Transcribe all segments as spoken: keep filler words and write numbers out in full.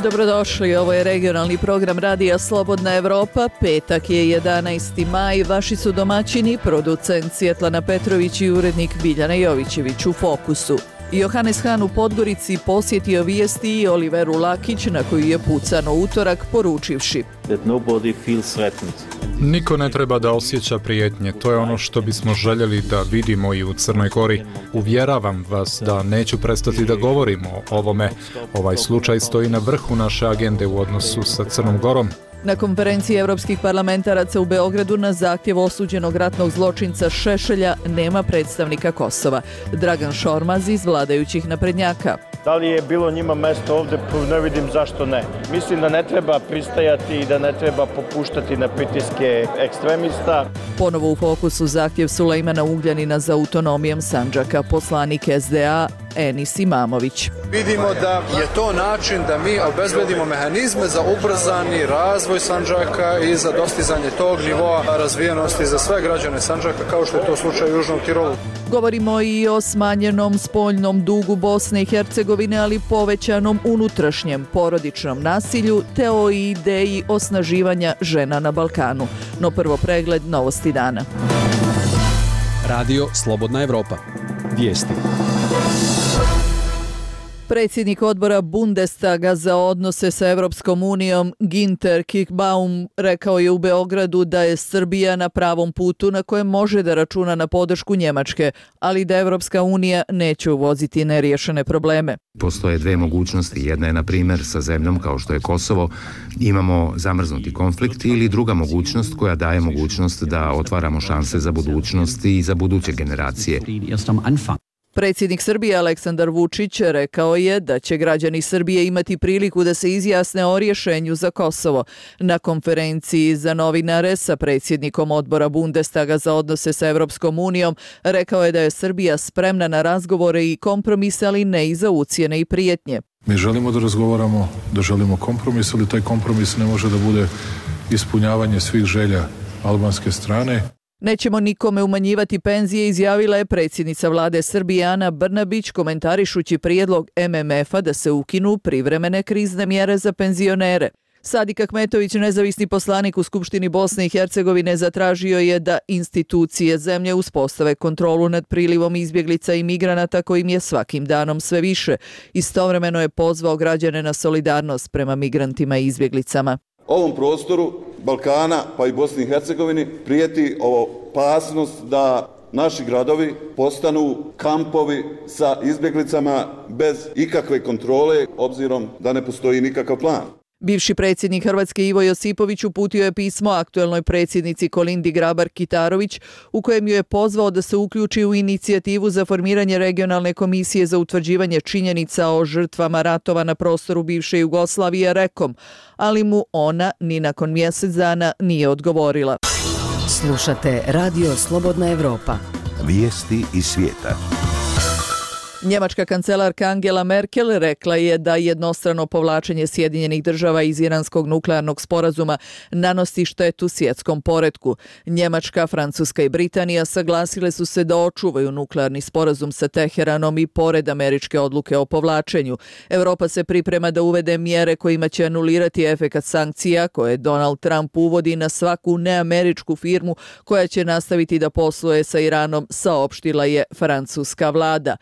Dobrodošli, ovo je regionalni program Radija Slobodna Evropa, petak je jedanaesti maj, vaši su domaćini, producent Svjetlana Petrović i urednik Biljana Jovićević u Fokusu. Johannes Han u Podgorici posjetio vijesti i Oliveru Lakić na koju je pucano utorak poručivši: Niko ne treba da osjeća prijetnje, to je ono što bismo željeli da vidimo i u Crnoj Gori. Uvjeravam vas da neću prestati da govorimo o ovome. Ovaj slučaj stoji na vrhu naše agende u odnosu sa Crnom Gorom. Na konferenciji evropskih parlamentaraca u Beogradu na zahtjev osuđenog ratnog zločinca Šešelja nema predstavnika Kosova. Dragan Šormaz iz vladajućih naprednjaka. Da li je bilo njima mesto ovdje, ne vidim zašto ne. Mislim da ne treba pristajati i da ne treba popuštati na pritiske ekstremista. Ponovo u fokusu zahtjev Sulejmana Ugljanina za autonomijom Sandžaka, poslanik S D A Enis Imamović. Vidimo da je to način da mi obezbedimo mehanizme za ubrzani razvoj Sandžaka i za dostizanje tog nivoa razvijenosti za sve građane Sandžaka, kao što je to slučaj u Južnom Tirolu. Govorimo i o smanjenom spoljnom dugu Bosne i Hercegovine, ali povećanom unutrašnjem porodičnom nasilju te o ideji osnaživanja žena na Balkanu. No prvo pregled novosti dana. Radio Slobodna Evropa. Vijesti. Predsjednik odbora Bundestaga za odnose sa Evropskom unijom Ginter Kickbaum rekao je u Beogradu da je Srbija na pravom putu na kojem može da računa na podršku Njemačke, ali da Evropska unija neće uvoziti neriješene probleme. Postoje dve mogućnosti. Jedna je, na primjer, sa zemljom kao što je Kosovo, imamo zamrznuti konflikt, ili druga mogućnost koja daje mogućnost da otvaramo šanse za budućnost i za buduće generacije. Predsjednik Srbije Aleksandar Vučić rekao je da će građani Srbije imati priliku da se izjasne o rješenju za Kosovo. Na konferenciji za novinare sa predsjednikom odbora Bundestaga za odnose sa Evropskom unijom rekao je da je Srbija spremna na razgovore i kompromis, ali ne i za ucjene i prijetnje. Mi želimo da razgovaramo, da želimo kompromis, ali taj kompromis ne može da bude ispunjavanje svih želja albanske strane. Nećemo nikome umanjivati penzije, izjavila je predsjednica vlade Srbije Ana Brnabić komentarišući prijedlog M M F-a da se ukinu privremene krizne mjere za penzionere. Sadik Ahmetović, nezavisni poslanik u Skupštini Bosne i Hercegovine, zatražio je da institucije zemlje uspostave kontrolu nad prilivom izbjeglica i migranata kojim je svakim danom sve više. Istovremeno je pozvao građane na solidarnost prema migrantima i izbjeglicama. Ovom prostoru Balkana pa i Bosni i Hercegovini prijeti opasnost da naši gradovi postanu kampovi sa izbjeglicama bez ikakve kontrole, obzirom da ne postoji nikakav plan. Bivši predsjednik Hrvatske Ivo Josipović uputio je pismo aktuelnoj predsjednici Kolindi Grabar-Kitarović u kojem ju je pozvao da se uključi u inicijativu za formiranje regionalne komisije za utvrđivanje činjenica o žrtvama ratova na prostoru bivše Jugoslavije rekom, ali mu ona ni nakon mjesec dana nije odgovorila. Slušate Radio Slobodna Evropa. Vijesti iz svijeta. Njemačka kancelarka Angela Merkel rekla je da jednostrano povlačenje Sjedinjenih država iz iranskog nuklearnog sporazuma nanosi štetu svjetskom poretku. Njemačka, Francuska i Britanija saglasile su se da očuvaju nuklearni sporazum sa Teheranom i pored američke odluke o povlačenju. Europa se priprema da uvede mjere kojima će anulirati efekat sankcija koje Donald Trump uvodi na svaku neameričku firmu koja će nastaviti da posluje sa Iranom, saopštila je francuska vlada.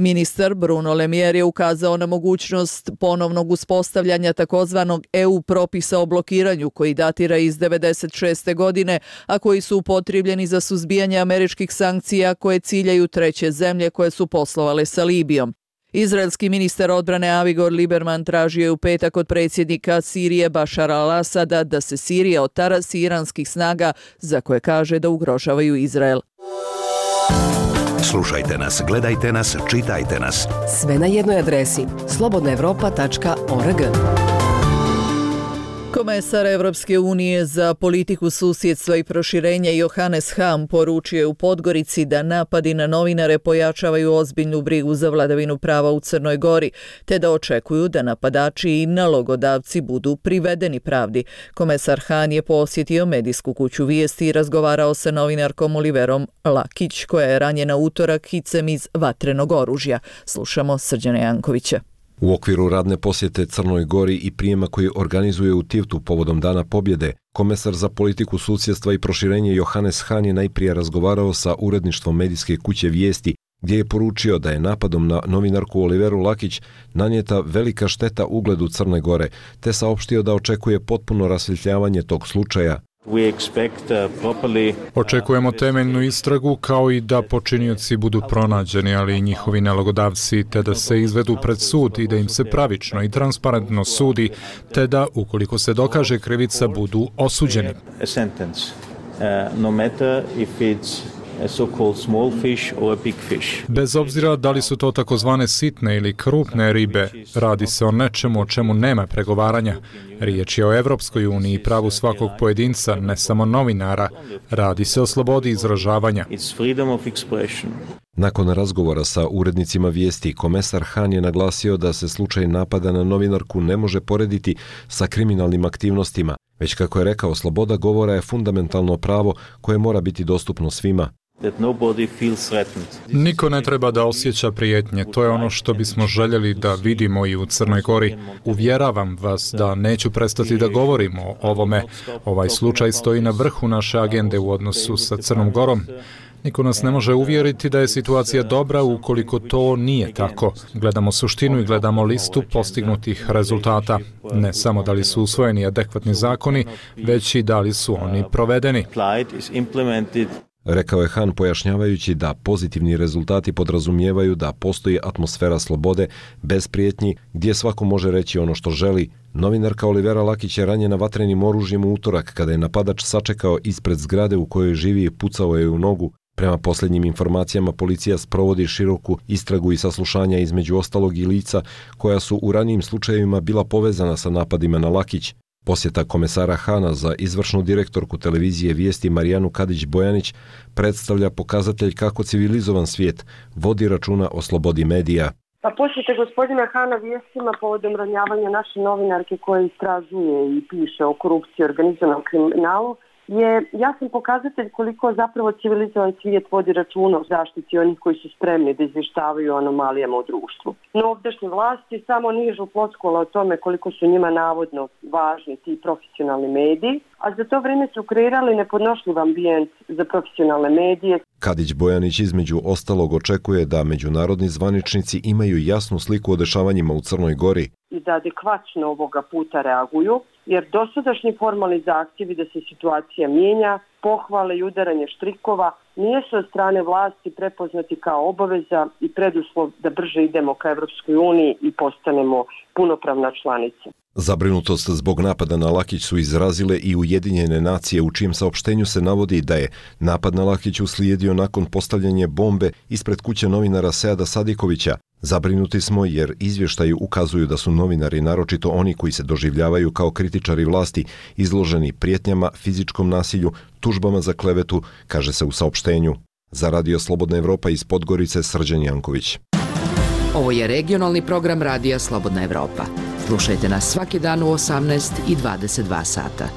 Ministar Bruno Le Maire je ukazao na mogućnost ponovnog uspostavljanja takozvanog E U propisa o blokiranju koji datira iz devedeset šeste. godine, a koji su upotrijebljeni za suzbijanje američkih sankcija koje ciljaju treće zemlje koje su poslovale sa Libijom. Izraelski ministar odbrane Avigor Lieberman tražio je u petak od predsjednika Sirije Bašara al-Asada da se Sirija otarasi iranskih snaga za koje kaže da ugrožavaju Izrael. Slušajte nas, gledajte nas, čitajte nas. Sve na jednoj adresi slobodna evropa tačka org. Komesar Evropske unije za politiku susjedstva i proširenja Johannes Han poručio je u Podgorici da napadi na novinare pojačavaju ozbiljnu brigu za vladavinu prava u Crnoj Gori, te da očekuju da napadači i nalogodavci budu privedeni pravdi. Komesar Han je posjetio medijsku kuću Vijesti i razgovarao sa novinarkom Oliverom Lakić, koja je ranjena utorak hicem iz vatrenog oružja. Slušamo Srđana Jankovića. U okviru radne posjete Crnoj Gori i prijema koji organizuje u Tivtu povodom Dana pobjede, komesar za politiku susjedstva i proširenje Johannes Hahn je najprije razgovarao sa uredništvom medijske kuće Vijesti, gdje je poručio da je napadom na novinarku Oliveru Lakić nanijeta velika šteta ugledu Crne Gore, te saopštio da očekuje potpuno rasvjetljavanje tog slučaja. Očekujemo temeljnu istragu kao i da počinioci budu pronađeni, ali i njihovi nalogodavci, te da se izvedu pred sud i da im se pravično i transparentno sudi, te da, ukoliko se dokaže krivica, budu osuđeni. Bez obzira da li su to takozvane sitne ili krupne ribe, radi se o nečemu o čemu nema pregovaranja. Riječ je o Evropskoj uniji i pravu svakog pojedinca, ne samo novinara. Radi se o slobodi izražavanja. Nakon razgovora sa urednicima Vijesti, komesar Hahn je naglasio da se slučaj napada na novinarku ne može porediti sa kriminalnim aktivnostima, već kako je rekao, sloboda govora je fundamentalno pravo koje mora biti dostupno svima. Niko ne treba da osjeća prijetnje, to je ono što bismo željeli da vidimo i u Crnoj Gori. Uvjeravam vas da neću prestati da govorimo o ovome. Ovaj slučaj stoji na vrhu naše agende u odnosu sa Crnom Gorom. Niko nas ne može uvjeriti da je situacija dobra ukoliko to nije tako. Gledamo suštinu i gledamo listu postignutih rezultata. Ne samo da li su usvojeni adekvatni zakoni, već i da li su oni provedeni. Rekao je Hahn pojašnjavajući da pozitivni rezultati podrazumijevaju da postoji atmosfera slobode bez prijetnji gdje svako može reći ono što želi. Novinarka Olivera Lakić je ranjena vatrenim oružjem u utorak kada je napadač sačekao ispred zgrade u kojoj živi i pucao je u nogu. Prema posljednjim informacijama, policija sprovodi široku istragu i saslušanja između ostalog i lica koja su u ranijim slučajevima bila povezana sa napadima na Lakić. Posjeta komesara Hahna za izvršnu direktorku televizije Vijesti Marijanu Kadić-Bojanić predstavlja pokazatelj kako civilizovan svijet vodi računa o slobodi medija. Pa posjete gospodina Hahna Vijestima povodom ranjavanja naše novinarke koja istražuje i piše o korupciji i organizovanom kriminalu je jasan pokazatelj koliko zapravo civilizovan svijet vodi računa o zaštiti onih koji su spremni da izvještavaju o anomalijama u društvu. No ovdašnje vlasti samo nižu floskula o tome koliko su njima navodno važni ti profesionalni mediji, a za to vrijeme su kreirali nepodnošljiv ambijent za profesionalne medije. Kadić-Bojanić između ostalog očekuje da međunarodni zvaničnici imaju jasnu sliku o dešavanjima u Crnoj Gori i da adekvatno ovoga puta reaguju, jer dosadašnji formalni zahtjevi da se situacija mijenja, pohvale i udaranje štrikova nisu od strane vlasti prepoznati kao obaveza i preduslov da brže idemo ka Evropskoj uniji i postanemo punopravna članica. Zabrinutost zbog napada na Lakić su izrazile i Ujedinjene nacije, u čijem saopštenju se navodi da je napad na Lakić uslijedio nakon postavljanja bombe ispred kuće novinara Seada Sadikovića. Zabrinuti smo jer izvještaji ukazuju da su novinari, naročito oni koji se doživljavaju kao kritičari vlasti, izloženi prijetnjama, fizičkom nasilju, tužbama za klevetu, kaže se u saopštenju. Za Radio Slobodna Evropa iz Podgorice, Srđan Janković. Ovo je regionalni program Radija Slobodna Evropa. Slušajte nas svaki dan u osamnaest i dvadeset dva sata.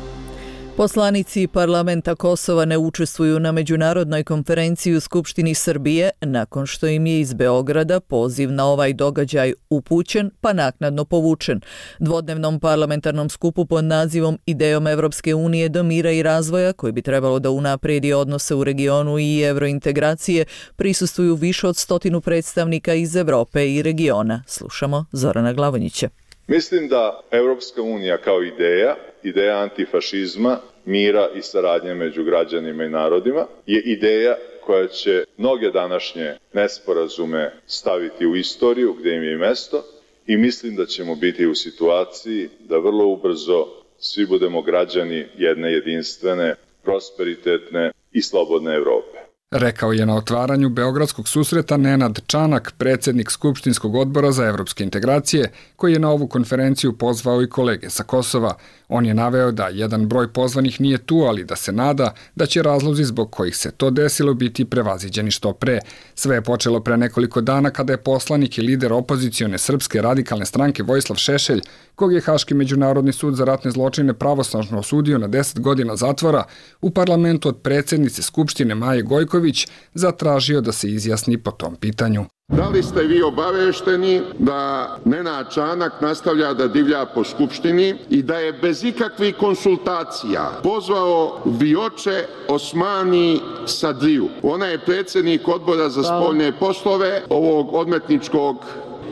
Poslanici parlamenta Kosova ne učestvuju na međunarodnoj konferenciji u Skupštini Srbije nakon što im je iz Beograda poziv na ovaj događaj upućen pa naknadno povučen. Dvodnevnom parlamentarnom skupu pod nazivom Idejom Evropske unije do mira i razvoja, koji bi trebalo da unaprijedi odnose u regionu i evrointegracije, prisustvuju više od stotinu predstavnika iz Evrope i regiona. Slušamo Zorana Glavonjića. Mislim da Evropska unija kao ideja, ideja antifašizma, mira i saradnje među građanima i narodima, je ideja koja će mnoge današnje nesporazume staviti u istoriju gdje im je i mesto i mislim da ćemo biti u situaciji da vrlo ubrzo svi budemo građani jedne jedinstvene, prosperitetne i slobodne Evrope. Rekao je na otvaranju Beogradskog susreta Nenad Čanak, predsjednik Skupštinskog odbora za evropske integracije, koji je na ovu konferenciju pozvao i kolege sa Kosova. On je naveo da jedan broj pozvanih nije tu, ali da se nada da će razlozi zbog kojih se to desilo biti prevaziđeni što pre. Sve je počelo pre nekoliko dana kada je poslanik i lider opozicione Srpske radikalne stranke Vojislav Šešelj, kog je Haški međunarodni sud za ratne zločine pravosnažno osudio na deset godina zatvora, u parlamentu od predsjednice Skupštine Maje Gojković zatražio da se izjasni po tom pitanju. Da li ste vi obavešteni da Nenad Čanak nastavlja da divlja po Skupštini i da je bez ikakvih konsultacija pozvao Vioče Osmani Sadriju? Ona je predsjednik Odbora za spoljne poslove ovog odmetničkog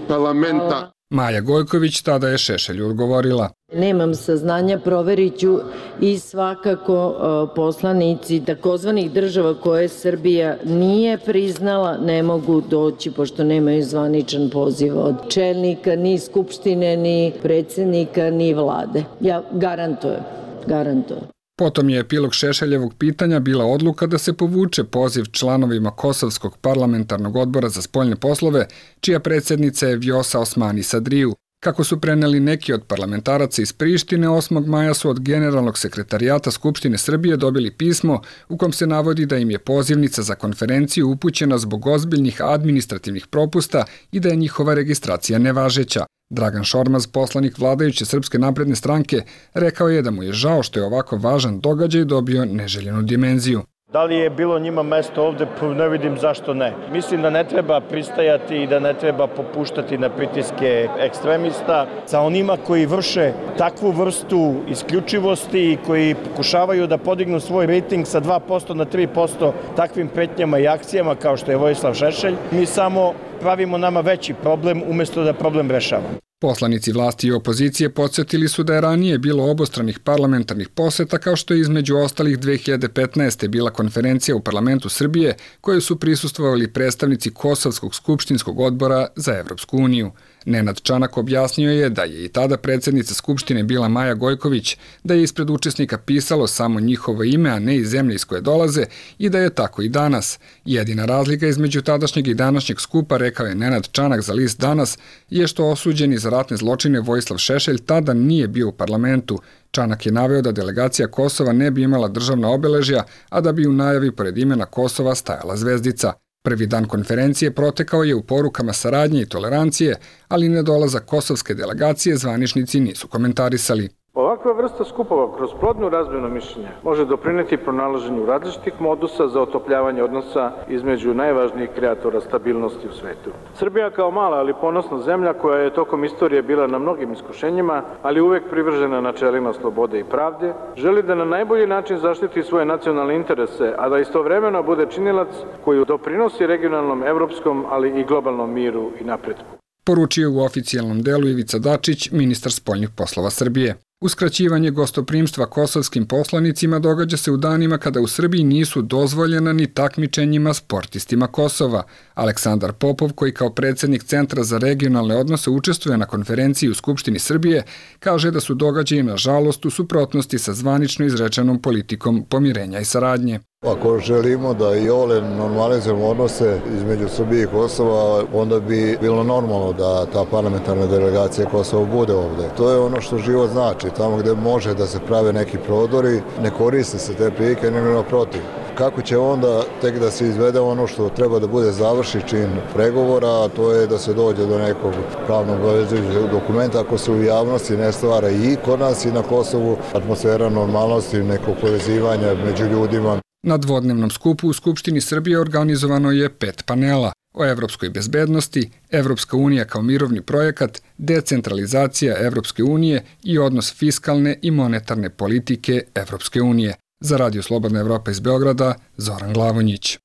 parlamenta. Maja Gojković tada je Šešelju odgovorila. Nemam saznanja, proverit ću i svakako poslanici takozvanih država koje Srbija nije priznala ne mogu doći pošto nemaju zvaničan poziv od čelnika, ni Skupštine, ni predsjednika, ni vlade. Ja garantujem, garantujem. Potom je epilog Šešeljevog pitanja bila odluka da se povuče poziv članovima Kosovskog parlamentarnog odbora za spoljne poslove, čija predsjednica je Vjosa Osmani Sadriju. Kako su preneli neki od parlamentaraca iz Prištine, osmog maja su od Generalnog sekretarijata Skupštine Srbije dobili pismo u kom se navodi da im je pozivnica za konferenciju upućena zbog ozbiljnih administrativnih propusta i da je njihova registracija nevažeća. Dragan Šormaz, poslanik vladajuće Srpske napredne stranke, rekao je da mu je žao što je ovako važan događaj dobio neželjenu dimenziju. Da li je bilo njima mesto ovde, ne vidim zašto ne. Mislim da ne treba pristajati i da ne treba popuštati na pritiske ekstremista sa onima koji vrše takvu vrstu isključivosti i koji pokušavaju da podignu svoj rejting sa dva posto na tri posto takvim pretnjama i akcijama kao što je Vojislav Šešelj. Mi samo pravimo nama veći problem umjesto da problem rešavamo. Poslanici vlasti i opozicije podsjetili su da je ranije bilo obostranih parlamentarnih poseta kao što je između ostalih dve hiljade petnaeste. bila konferencija u parlamentu Srbije kojoj su prisustvovali predstavnici Kosovskog skupštinskog odbora za Evropsku uniju. Nenad Čanak objasnio je da je i tada predsjednica Skupštine bila Maja Gojković, da je ispred učesnika pisalo samo njihovo ime, a ne i zemlje iz koje dolaze i da je tako i danas. Jedina razlika između tadašnjeg i današnjeg skupa, rekao je Nenad Čanak za list Danas, je što osuđeni za ratne zločine Vojislav Šešelj tada nije bio u parlamentu. Čanak je naveo da delegacija Kosova ne bi imala državna obeležja, a da bi u najavi pored imena Kosova stajala zvezdica. Prvi dan konferencije protekao je u porukama saradnje i tolerancije, ali nedolazak kosovske delegacije zvaničnici nisu komentarisali. Ovakva vrsta skupova kroz plodnu razmjenu mišljenja može doprineti pronalaženju različitih modusa za otopljavanje odnosa između najvažnijih kreatora stabilnosti u svetu. Srbija kao mala ali ponosna zemlja koja je tokom istorije bila na mnogim iskušenjima, ali uvek privržena načelima slobode i pravde, želi da na najbolji način zaštiti svoje nacionalne interese, a da istovremeno bude činilac koji doprinosi regionalnom, evropskom, ali i globalnom miru i napretku. Poručio u oficijalnom delu Ivica Dačić, ministar spoljnih poslova Srbije. Uskraćivanje gostoprimstva kosovskim poslanicima događa se u danima kada u Srbiji nisu dozvoljena ni takmičenjima sportistima Kosova. Aleksandar Popov, koji kao predsjednik Centra za regionalne odnose učestvuje na konferenciji u Skupštini Srbije, kaže da su događaji nažalost u suprotnosti sa zvanično izrečenom politikom pomirenja i saradnje. Ako želimo da i ole normalizujemo odnose između Srbije i Kosova, onda bi bilo normalno da ta parlamentarna delegacija Kosova bude ovde. To je ono što život znači. Tamo gde može da se prave neki prodori, ne koriste se te prilike, nego naprotiv. Kako će onda tek da se izvede ono što treba da bude završi čin pregovora, a to je da se dođe do nekog pravnog obavezujućeg dokumenta ako se u javnosti ne stvara i kod nas i na Kosovu atmosfera normalnosti, nekog povezivanja među ljudima. Na dvodnevnom skupu u Skupštini Srbije organizovano je pet panela o evropskoj bezbednosti, Evropska unija kao mirovni projekat, decentralizacija Evropske unije i odnos fiskalne i monetarne politike Evropske unije. Za Radio Slobodna Evropa iz Beograda, Zoran Glavonjić.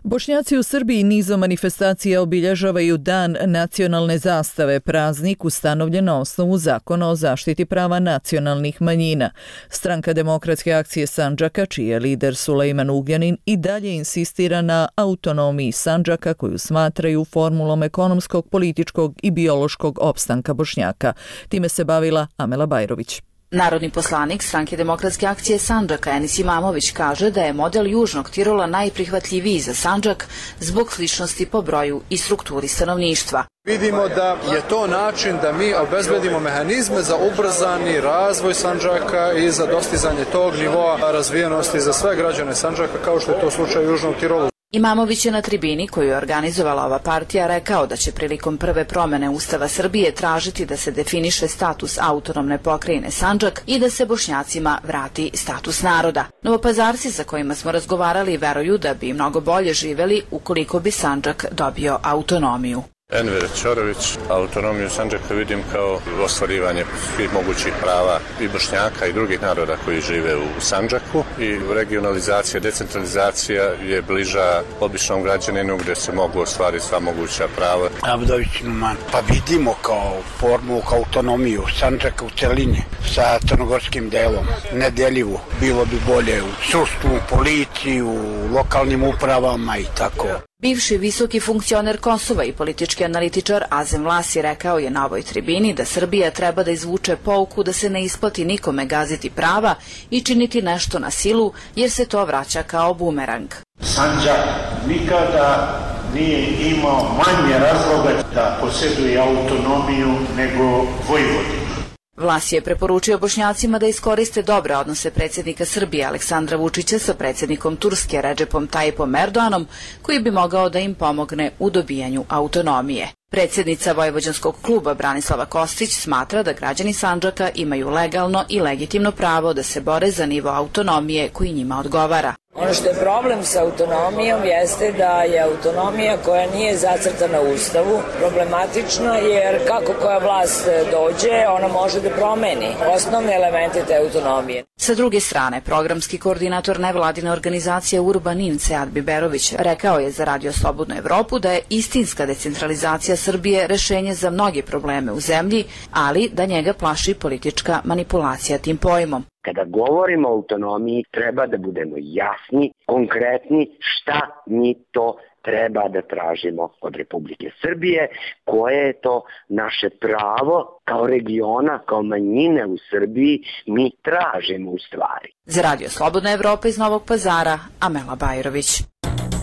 Bošnjaci u Srbiji nizom manifestacija obilježavaju Dan nacionalne zastave, praznik ustanovljen na osnovu Zakona o zaštiti prava nacionalnih manjina. Stranka Demokratske akcije Sandžaka, čiji je lider Sulejman Ugljanin, i dalje insistira na autonomiji Sandžaka koju smatraju formulom ekonomskog, političkog i biološkog opstanka Bošnjaka. Time se bavila Amela Bajrović. Narodni poslanik Stranke Demokratske akcije Sandžaka Enis Imamović kaže da je model Južnog Tirola najprihvatljiviji za Sandžak zbog sličnosti po broju i strukturi stanovništva. Vidimo da je to način da mi obezbedimo mehanizme za ubrzani razvoj Sandžaka i za dostizanje tog nivoa razvijenosti za sve građane Sandžaka kao što je to slučaj u Južnom Tirolu. Imamović je na tribini koju je organizovala ova partija rekao da će prilikom prve promene Ustava Srbije tražiti da se definiše status autonomne pokrajine Sandžak i da se Bošnjacima vrati status naroda. Novopazarci sa kojima smo razgovarali veruju da bi mnogo bolje živeli ukoliko bi Sandžak dobio autonomiju. Enver Ćorović, autonomiju Sandžaka vidim kao ostvarivanje svih mogućih prava i Bošnjaka i drugih naroda koji žive u Sandžaku i regionalizacija, decentralizacija je bliža običnom građaninu gde se mogu ostvariti sva moguća prava. Abdović Numan, pa vidimo kao formu, kao autonomiju Sandžaka u celini sa crnogorskim delom, nedeljivu. Bilo bi bolje u sudstvu, policiji, u lokalnim upravama i tako. Bivši visoki funkcioner Kosova i politički analitičar Azem Vlasi rekao je na ovoj tribini da Srbija treba da izvuče pouku da se ne isplati nikome gaziti prava i činiti nešto na silu, jer se to vraća kao bumerang. Sandžak nikada nije imao manje razloga da posjeduje autonomiju nego Vojvodina. Vlas je preporučio Bošnjacima da iskoriste dobre odnose predsjednika Srbije Aleksandra Vučića sa predsjednikom Turske Redžepom Tajipom Erdoganom, koji bi mogao da im pomogne u dobijanju autonomije. Predsjednica Vojvođanskog kluba Branislava Kostić smatra da građani Sandžaka imaju legalno i legitimno pravo da se bore za nivo autonomije koji njima odgovara. Ono što je problem sa autonomijom jeste da je autonomija koja nije zacrtana u Ustavu problematična, jer kako koja vlast dođe, ona može da promeni osnovne elemente te autonomije. Sa druge strane, programski koordinator nevladine organizacije Urbanin Sead Biberović rekao je za Radio Slobodnu Evropu da je istinska decentralizacija Srbije rešenje za mnoge probleme u zemlji, ali da njega plaši politička manipulacija tim pojmom. Kada govorimo o autonomiji, treba da budemo jasni, konkretni šta mi to treba da tražimo od Republike Srbije, koje je to naše pravo kao regiona, kao manjine u Srbiji, mi tražimo u stvari. Za Radio Slobodna Evropa iz Novog Pazara, Amela Bajrović.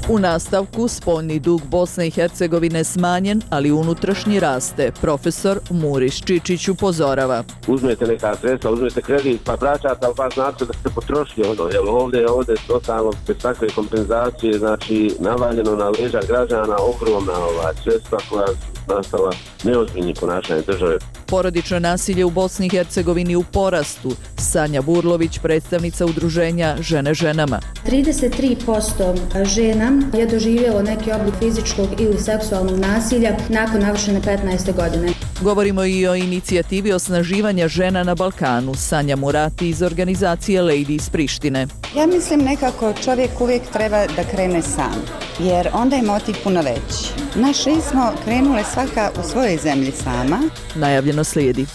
U nastavku, spoljni dug Bosne i Hercegovine smanjen, ali unutrašnji raste. Profesor Muriš Čičić upozorava. Uzmete neka sredstva, uzmete kredit, pa vraćate, ali pa znate da ste potrošili ono, jer ovdje, ovdje totalno bez takve kompenzacije, znači navaljeno na leđa građana ogromna ova sredstva koja nastala neozbiljni ponašanje države. Porodično nasilje u Bosni i Hercegovini u porastu. Sanja Burlović, predstavnica udruženja Žene ženama. trideset tri posto žena je doživjelo neki oblik fizičkog ili seksualnog nasilja nakon navršene petnaeste godine. Govorimo i o inicijativi osnaživanja žena na Balkanu. Sanja Murati iz organizacije Lady iz Prištine. Ja mislim nekako čovjek uvijek treba da krene sam, jer onda je motiv puno veći. Naše smo krenule svaka u svojoj zemlji sama. Najavljeno slijedi.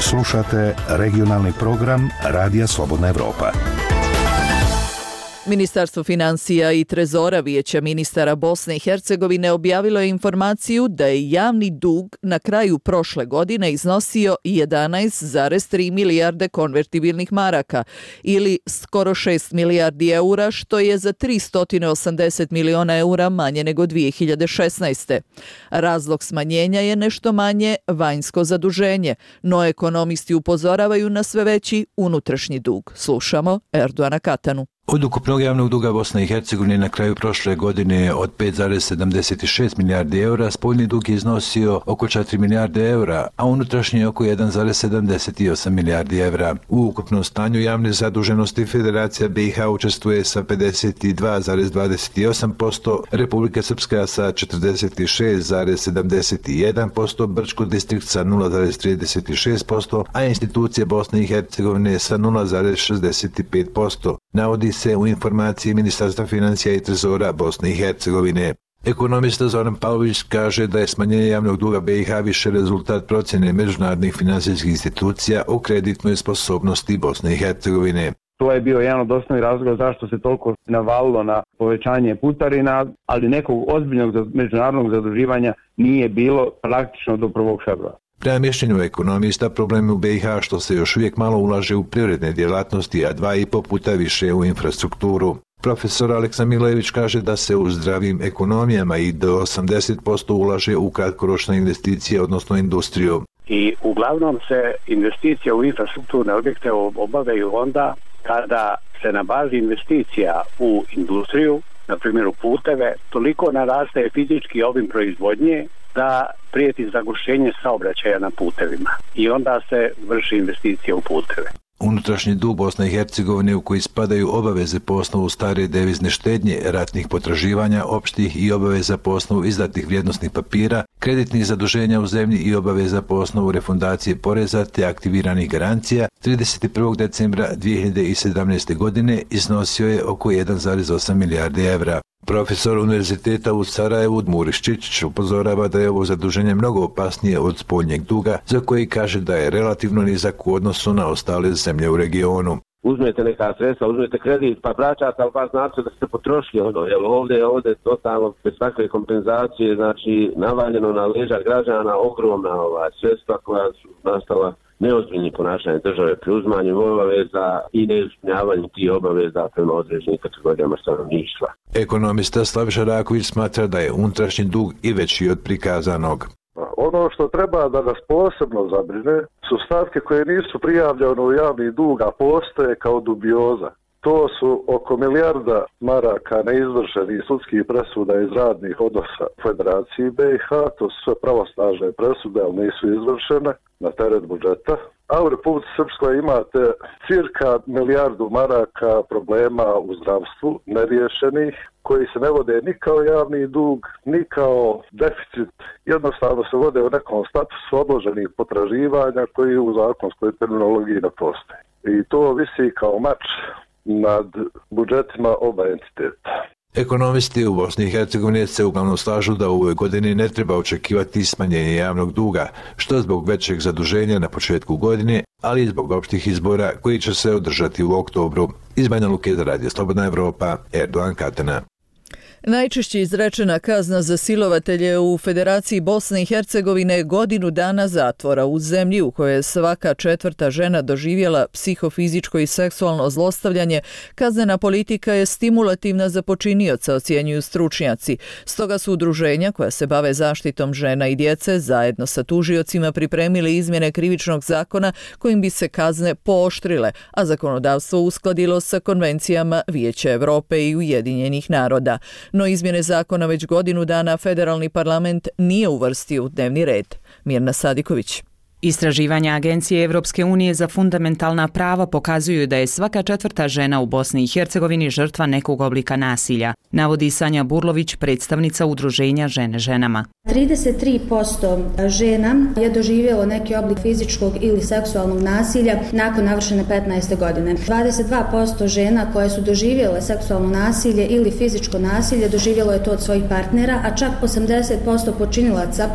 Slušate regionalni program Radija Slobodna Evropa. Ministarstvo financija i trezora Vijeća ministara Bosne i Hercegovine objavilo je informaciju da je javni dug na kraju prošle godine iznosio jedanaest zarez tri milijarde konvertibilnih maraka ili skoro šest milijardi eura, što je za tristo osamdeset miliona eura manje nego dvije hiljade šesnaeste. Razlog smanjenja je nešto manje vanjsko zaduženje, no ekonomisti upozoravaju na sve veći unutrašnji dug. Slušamo Erdoana Katanu. Od ukupnog javnog duga Bosne i Hercegovine na kraju prošle godine od pet zarez sedamdeset šest milijardi eura, spoljni dug je iznosio oko četiri milijarde eura, a unutrašnji oko jedan zarez sedamdeset osam milijardi eura. U ukupnom stanju javne zaduženosti Federacija B i H učestvuje sa pedeset dva zarez dvadeset osam posto, Republika Srpska sa četrdeset šest zarez sedamdeset jedan posto, Brčko distrikt sa nula zarez trideset šest posto, a institucije Bosne i Hercegovine sa nula zarez šezdeset pet posto. Navodi se u informaciji Ministarstva financija i trezora Bosne i Hercegovine. Ekonomista Zoran Pavlović kaže da je smanjenje javnog duga B i H više rezultat procjene međunarodnih finansijskih institucija o kreditnoj sposobnosti Bosne i Hercegovine. To je bio jedan od osnovnih razloga zašto se toliko navalilo na povećanje putarina, ali nekog ozbiljnog međunarodnog zaduživanja nije bilo praktično do prvog februara. Prema mišljenju ekonomista, problem u B i H što se još uvijek malo ulaže u privredne djelatnosti, a dva i po puta više u infrastrukturu. Profesor Aleksa Milojević kaže da se u zdravim ekonomijama i do osamdeset posto ulaže u kratkoročne investicije, odnosno industriju. I uglavnom se investicije u infrastrukturne objekte obavljaju onda kada se na bazi investicija u industriju na primjer u puteve, toliko narastaje fizički obim proizvodnje da prijeti zagušenje saobraćaja na putevima i onda se vrši investicija u puteve. Unutrašnji dug Bosne i Hercegovine u koji spadaju obaveze po osnovu stare devizne štednje, ratnih potraživanja, opštih i obaveza po osnovu izdatih vrijednosnih papira, kreditnih zaduženja u zemlji i obaveza po osnovu refundacije poreza te aktiviranih garancija, trideset prvog decembra dvije hiljade sedamnaeste. godine iznosio je oko jedan zarez osam milijardi evra. Profesor Univerziteta u Sarajevu Muris Čičić upozorava da je ovo zaduženje mnogo opasnije od spoljnjeg duga, za koji kaže da je relativno nizak u odnosu na ostale zemlje u regionu. Uzmete neka sredstva, uzmete kredit, pa vraćate, ali pa znači da ste potrošili ono, jer ovdje, ovdje totalno bez takve kompenzacije, znači navaljeno na leđa građana ogromna ova sredstva koja su nastala neozbiljnim ponašanjem države pri uzmanju obaveza i neispunjavanju tih obaveza prema određenim kategorijama stanovništva. Ekonomista Slaviša Raković smatra da je unutrašnji dug i veći od prikazanog. Ono što treba da nas posebno zabrine su stavke koje nisu prijavljene u javni dug, a postoje kao dubioza. To su oko milijarda maraka neizvršenih sudskih presuda iz radnih odnosa u Federaciji B i H, to su sve pravosnažne presude, ali nisu izvršene na teret budžeta. A u Republici Srpskoj imate cirka milijardu maraka problema u zdravstvu neriješenih, koji se ne vode ni kao javni dug, ni kao deficit. Jednostavno se vode u nekom statusu odloženih potraživanja koji u zakonskoj terminologiji ne postoje. I to visi kao mač nad budžetima oba entiteta. Ekonomisti u Bosni i Hercegovini se uglavnom slažu da u ovoj godini ne treba očekivati smanjenje javnog duga, što zbog većeg zaduženja na početku godine, ali i zbog opštih izbora koji će se održati u oktobru. Iz Banja Luke za Radio Slobodna Evropa, Erdogan Katana. Najčešće izrečena kazna za silovatelje u Federaciji Bosne i Hercegovine je godinu dana zatvora u zemlji u kojoj je svaka četvrta žena doživjela psihofizičko i seksualno zlostavljanje. Kaznena politika je stimulativna za počinioca, ocjenjuju stručnjaci. Stoga su udruženja koja se bave zaštitom žena i djece zajedno sa tužiocima pripremili izmjene krivičnog zakona kojim bi se kazne pooštrile, a zakonodavstvo uskladilo sa konvencijama Vijeća Evrope i Ujedinjenih naroda. No izmjene zakona već godinu dana federalni parlament nije uvrstio u dnevni red. Mirna Sadiković. Istraživanja Agencije Evropske unije za fundamentalna prava pokazuju da je svaka četvrta žena u Bosni i Hercegovini žrtva nekog oblika nasilja, navodi Sanja Burlović, predstavnica udruženja Žene ženama. trideset tri posto žena je doživjelo neki oblik fizičkog ili seksualnog nasilja nakon navršene petnaeste godine. dvadeset dva posto žena koje su doživjele seksualno nasilje ili fizičko nasilje doživjelo je to od svojih partnera, a čak osamdeset posto počinilaca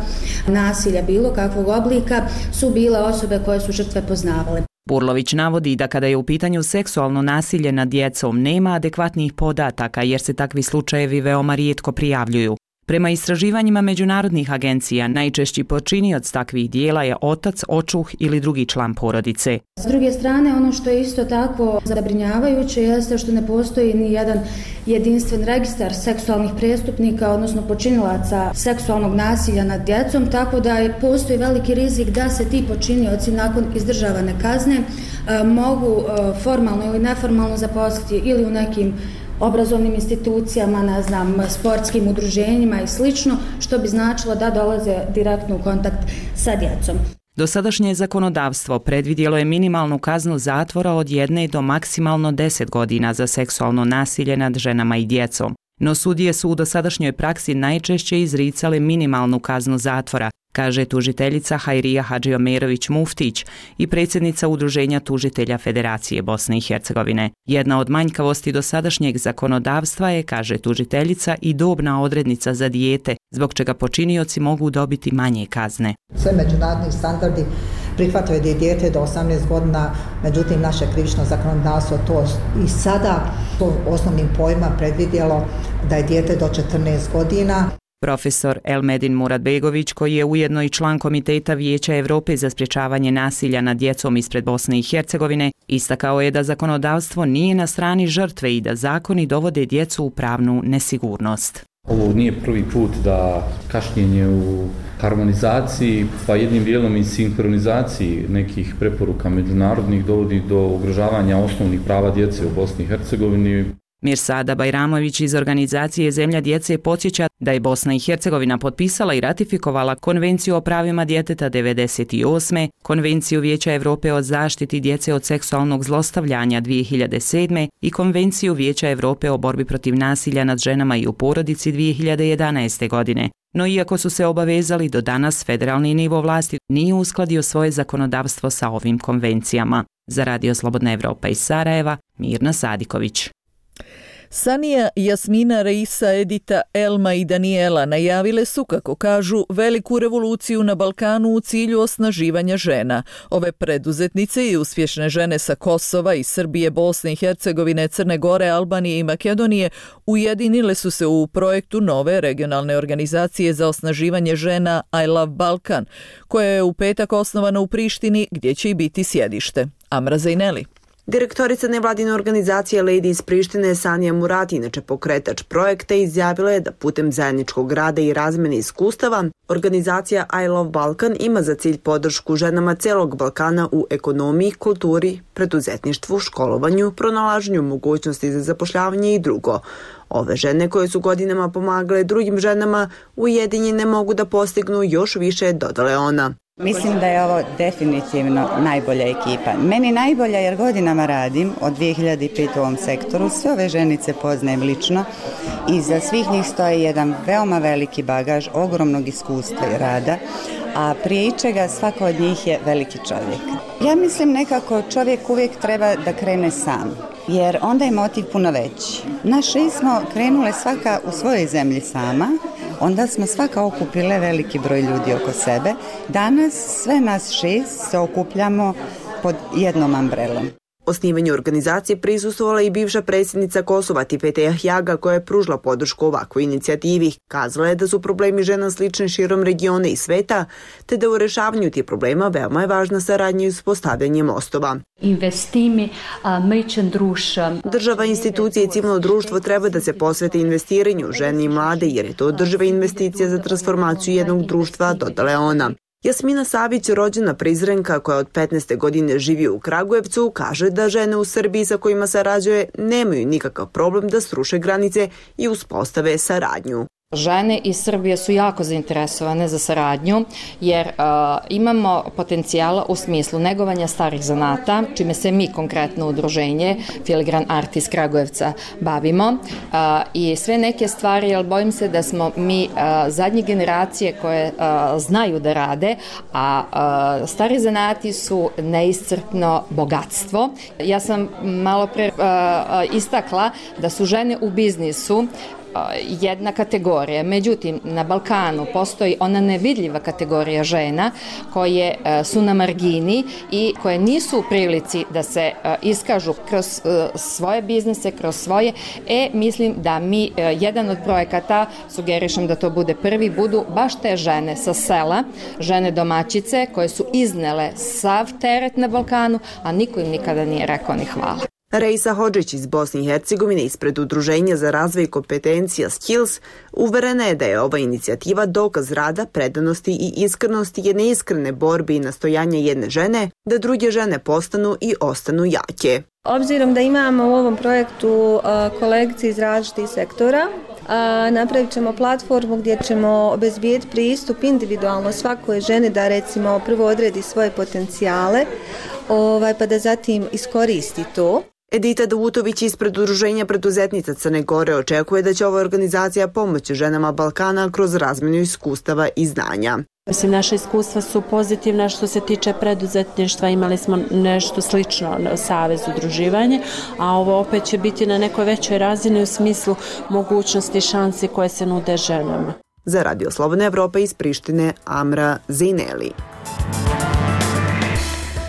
nasilja bilo kakvog oblika su bile osobe koje su žrtve poznavale. Burlović navodi da kada je u pitanju seksualno nasilje nad djecom nema adekvatnih podataka jer se takvi slučajevi veoma rijetko prijavljuju. Prema istraživanjima međunarodnih agencija, najčešći počinioc takvih dijela je otac, očuh ili drugi član porodice. S druge strane, ono što je isto tako zabrinjavajuće jeste što ne postoji ni jedan jedinstven registar seksualnih prestupnika, odnosno počinilaca seksualnog nasilja nad djecom, tako da je, postoji veliki rizik da se ti počinioci nakon izdržavane kazne e, mogu e, formalno ili neformalno zaposliti ili u nekim obrazovnim institucijama, ne znam, sportskim udruženjima i slično, što bi značilo da dolaze direktno u kontakt sa djecom. Dosadašnje zakonodavstvo predvidjelo je minimalnu kaznu zatvora od jedne do maksimalno deset godina za seksualno nasilje nad ženama i djecom. No sudije su u dosadašnjoj praksi najčešće izricale minimalnu kaznu zatvora, kaže tužiteljica Hajrija Hadžiomerović-Muftić i predsjednica Udruženja tužitelja Federacije Bosne i Hercegovine. Jedna od manjkavosti dosadašnjeg zakonodavstva je, kaže tužiteljica, i dobna odrednica za dijete, zbog čega počinioci mogu dobiti manje kazne. Sve međunarodni standardi prihvataju da je dijete do osamnaest godina, međutim naše krivično zakonodavstvo to i sada to osnovnim pojma predvidjelo da je dijete do četrnaest godina. Profesor Elmedin Muradbegović, koji je ujedno i član Komiteta Vijeća Evrope za sprječavanje nasilja nad djecom ispred Bosne i Hercegovine, istakao je da zakonodavstvo nije na strani žrtve i da zakoni dovode djecu u pravnu nesigurnost. Ovo nije prvi put da kašnjenje u harmonizaciji, pa jednim dijelom i sinhronizaciji nekih preporuka međunarodnih dovodi do ugrožavanja osnovnih prava djece u Bosni i Hercegovini. Mirsada Bajramović iz organizacije Zemlja djece podsjeća da je Bosna i Hercegovina potpisala i ratifikovala Konvenciju o pravima djeteta devedeset osme, Konvenciju Vijeća Europe o zaštiti djece od seksualnog zlostavljanja dvije hiljade sedme i Konvenciju Vijeća Europe o borbi protiv nasilja nad ženama i u porodici dvije hiljade jedanaeste. godine. No iako su se obavezali, do danas federalni nivo vlasti nije uskladio svoje zakonodavstvo sa ovim konvencijama. Za Radio Slobodna Evropa iz Sarajeva, Mirna Sadiković. Sanija, Jasmina, Reisa, Edita, Elma i Daniela najavile su, kako kažu, veliku revoluciju na Balkanu u cilju osnaživanja žena. Ove preduzetnice i uspješne žene sa Kosova i Srbije, Bosne i Hercegovine, Crne Gore, Albanije i Makedonije ujedinile su se u projektu nove regionalne organizacije za osnaživanje žena I Love Balkan, koja je u petak osnovana u Prištini, gdje će i biti sjedište. Amra Zajneli. Direktorica nevladine organizacije Lady iz Prištine Sanija Murati, inače pokretač projekta, izjavila je da putem zajedničkog rada i razmene iskustava organizacija I Love Balkan ima za cilj podršku ženama celog Balkana u ekonomiji, kulturi, preduzetništvu, školovanju, pronalaženju mogućnosti za zapošljavanje i drugo. Ove žene koje su godinama pomagale drugim ženama ujedinjene mogu da postignu još više, dodala ona. Mislim da je ovo definitivno najbolja ekipa. Meni najbolja jer godinama radim od dvije hiljade pete u ovom sektoru. Sve ove ženice poznajem lično i za svih njih stoji jedan veoma veliki bagaž, ogromnog iskustva i rada, a prije ičega svako od njih je veliki čovjek. Ja mislim nekako čovjek uvijek treba da krene sam, jer onda je motiv puno veći. Naš šest smo krenule svaka u svojoj zemlji sama, onda smo svaka okupile veliki broj ljudi oko sebe. Danas sve nas šest se okupljamo pod jednom ambrelom. Osnivanju organizacije prisustvovala i bivša predsjednica Kosova Tipete Jahjaga, koja je pružila podršku ovakvoj inicijativi. Kazala je da su problemi žena slični širom regiona i sveta, te da u rešavanju tih problema veoma je važna saradnja i uspostavljanje mostova. Država, institucije i civilno društvo treba da se posvete investiranju žene i mlade, jer je to održiva investicija za transformaciju jednog društva, dodala je ona. Jasmina Savić, rođena Prizrenka koja od petnaeste godine živi u Kragujevcu, kaže da žene u Srbiji sa kojima sarađuje nemaju nikakav problem da sruše granice i uspostave saradnju. Žene iz Srbije su jako zainteresovane za saradnju jer uh, imamo potencijala u smislu negovanja starih zanata, čime se mi konkretno udruženje Filigran Art iz Kragujevca bavimo uh, i sve neke stvari, jer bojim se da smo mi uh, zadnje generacije koje uh, znaju da rade, a uh, stari zanati su neiscrpno bogatstvo. Ja sam malo pre uh, istakla da su žene u biznisu jedna kategorija. Međutim, na Balkanu postoji ona nevidljiva kategorija žena koje su na margini i koje nisu u prilici da se iskažu kroz svoje biznise, kroz svoje. E, mislim da mi, jedan od projekata, sugerišem da to bude prvi, budu baš te žene sa sela, žene domaćice koje su iznele sav teret na Balkanu, a niko im nikada nije rekao ni hvala. Reisa Hodžić iz Bosne i Hercegovine ispred Udruženja za razvoj kompetencija Skills uverena je da je ova inicijativa dokaz rada, predanosti i iskrenosti jedne iskrene borbe i nastojanja jedne žene da druge žene postanu i ostanu jake. Obzirom da imamo u ovom projektu kolegice iz različitih sektora, napravit ćemo platformu gdje ćemo obezbijeti pristup individualno svakoj ženi da recimo prvo odredi svoje potencijale, ovaj, pa da zatim iskoristi to. Edita Davutović ispred Udruženja preduzetnica Crne Gore očekuje da će ova organizacija pomoći ženama Balkana kroz razmjenu iskustava i znanja. Mislim, naše iskustva su pozitivna što se tiče preduzetništva, imali smo nešto slično na savez udruživanje, a ovo opet će biti na nekoj većoj razini u smislu mogućnosti i šansi koje se nude ženama. Za Radio Slobodna Evropa iz Prištine, Amra Zajneli.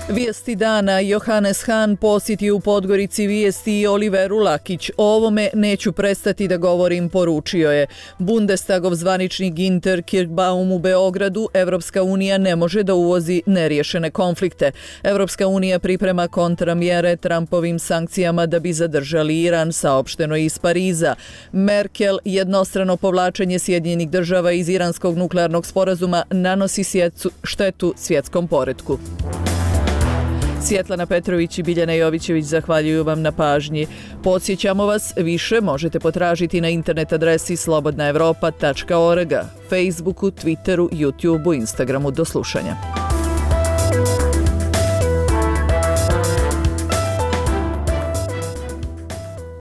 Vijesti dana. Johannes Hahn posjeti u Podgorici vijesti i Oliveru Lakić. O ovome neću prestati da govorim, poručio je. Bundestagov zvaničnik Ginter Kirchbaum u Beogradu: Evropska unija ne može da uvozi neriješene konflikte. Evropska unija priprema kontramjere Trumpovim sankcijama da bi zadržali Iran, saopšteno iz Pariza. Merkel: jednostrano povlačenje Sjedinjenih država iz iranskog nuklearnog sporazuma nanosi štetu svjetskom poretku. Svjetlana Petrović i Biljana Jovićević zahvaljuju vam na pažnji. Podsjećamo vas, više možete potražiti na internet adresi slobodna evropa tačka org, Facebooku, Twitteru, YouTubeu, Instagramu. Do slušanja.